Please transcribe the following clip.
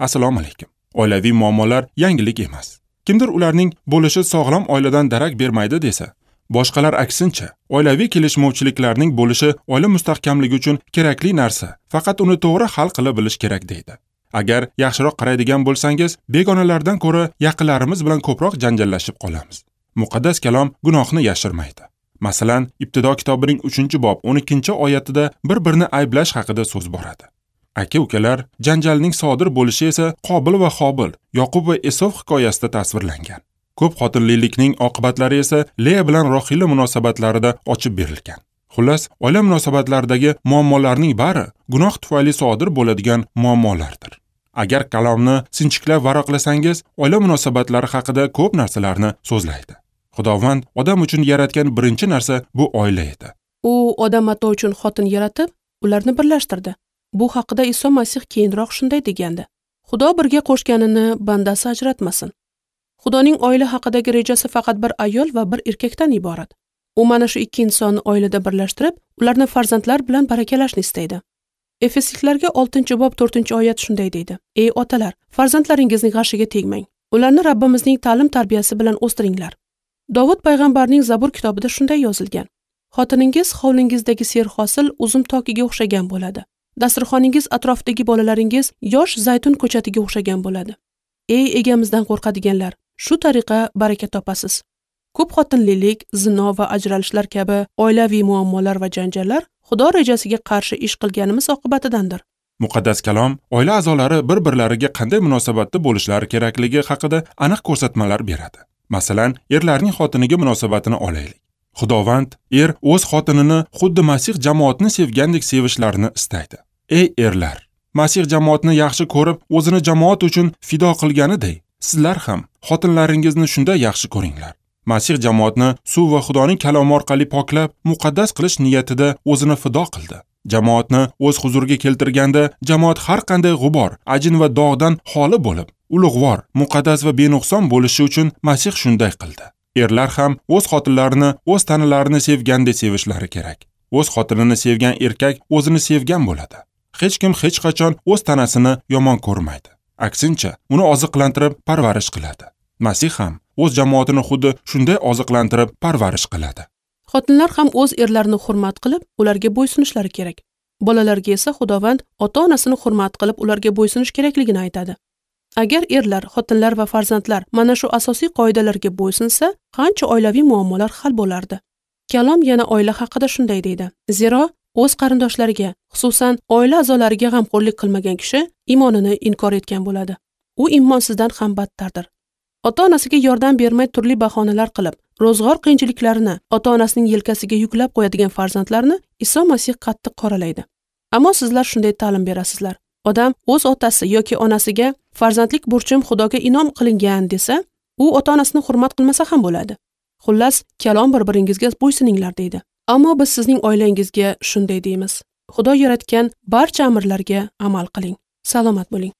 Assalomu alaykum. Oilaviy muammolar yangilik emas. Kimdir ularning bo'lishi sog'lom oiladan darak bermaydi desa, boshqalar aksincha, oilaviy kelishmovchiliklarning bo'lishi oila mustahkamligi uchun kerakli narsa, faqat uni to'g'ri hal qila bilish kerak deydi. Agar yaxshiroq qaraydigan bo'lsangiz, begonalardan ko'ra yaqinlarimiz bilan ko'proq janjallashib qolamiz. Muqaddas kalom gunohni yashirmaydi. Masalan, Ibtido kitobining 3-bob 12-oyatida bir-birini ayblash haqida so'z boradi. Aka-ukalar janjalning sodir bo'lishi esa Qobil va Hobil, Yoqub va Esov hikoyasida tasvirlangan. Ko'p xotinlilikning oqibatlari esa Leya bilan Rohila munosabatlarida ochib berilgan. Xullas, oila munosabatlaridagi muammolarning bari gunoh tufayli sodir bo'ladigan muammolardir. Agar kalomni sinchiklab varaqlasangiz, oila munosabatlari haqida ko'p narsalarni so'zlaydi. Xudovand odam uchun yaratgan birinchi narsa bu oila edi. U odam ato uchun xotin yaratib, ularni birlashtirdi. Bu haqida Iso Masih keyinroq shunday degandi: Xudo birga qo'shganini bandasi ajratmasin. Xudoning oila haqidagi rejasi faqat bir ayol va bir erkakdan iborat. U mana shu ikki insonni oilada birlashtirib, ularni farzandlar bilan barakalashni istaydi. Efesliklarga 6-bob 4-oyat shunday deydi: Ey otalar, farzandlaringizning g'ashiga tegmang. Ularni Rabbimizning ta'lim tarbiyasi bilan o'stiringlar. Dovud payg'ambarning Zabur kitobida shunday yozilgan: Xotiningiz hovlingizdagi serhosil uzum tokiga o'xshagan bo'ladi. Dasturxoningiz atrofidagi bolalaringiz yosh zaytun ko'chatiga o'xshagan bo'ladi. Ey egamizdan qo'rqadiganlar, shu tariqa baraka topasiz. Ko'p xotinlilik, zino va ajralishlar kabi oilaviy muammolar va janjallar Xudo rejasiga qarshi ish qilganimiz oqibatidandir. Muqaddas kalom oila a'zolari bir-birlariga qanday munosabatda bo'lishlari kerakligi haqida aniq ko'rsatmalar beradi. Masalan, erlarning xotiniga munosabatini olaylik. Xudovand er o'z xotinini xuddi Masih jamoatni sevgandek sevishlarini istaydi. Ey erlar, Masih jamoatni yaxshi ko'rib, o'zini jamoat uchun fido qilganiday, sizlar ham xotinlaringizni shunday yaxshi ko'ringlar. Masih jamoatni suv va Xudoning kalomi orqali poklab, muqaddas qilish niyatida o'zini fido qildi. Jamoatni o'z huzuriga keltirganda, jamoat har qanday g'ubor, ajin va dog'dan xoli bo'lib, ulug'vor, muqaddas va benuqson bo'lishi uchun Masih shunday qildi. Erlar ham o'z xotinlarini o'z tanalarini sevgandek sevishlari kerak. O'z xotinini sevgan erkak o'zini sevgan bo'ladi. Hech kim hech qachon o'z tanasini yomon ko'rmaydi. Aksincha, uni oziqlantirib parvarish qiladi. Masih ham o'z jamoatini xuddi shunday oziqlantirib parvarish qiladi. Xotinlar ham o'z erlarini hurmat qilib, ularga bo'ysunishlari kerak. Bolalarga esa Xudovand ota-onasini hurmat qilib, ularga bo'ysunish kerakligini aytadi. Agar erlar, xotinlar va farzandlar mana shu asosiy qoidalarga bo'ysunsa, qancha oilaviy muammolar hal bo'lardi. Kalom yana oila haqida shunday deydi: Zero o'z qarindoshlariga, xususan oila a'zolariga g'amxo'rlik qilmagan kishi iymonini inkor etgan bo'ladi. U iymonsizdan ham battardir. Ota-onasiga yordam bermay turli bahonalar qilib, ro'zg'or qiyinchiliklarini ota-onasining yelkasiga yuklab qo'yadigan farzandlarni Iso Masih qattiq qoralaydi. Ammo sizlar shunday ta'lim berasizlar: Odam o'z otasi yoki onasiga farzandlik burchim Xudoga inom qilingan desa, u ota-onasini hurmat qilmasa ham bo'ladi. Xullas, kalom bir-biringizga bo'ysuninglar deydi. Ammo biz sizning oilangizga shunday deymiz: Xudo yaratgan barcha amrlarga amal qiling. Salomat bo'ling.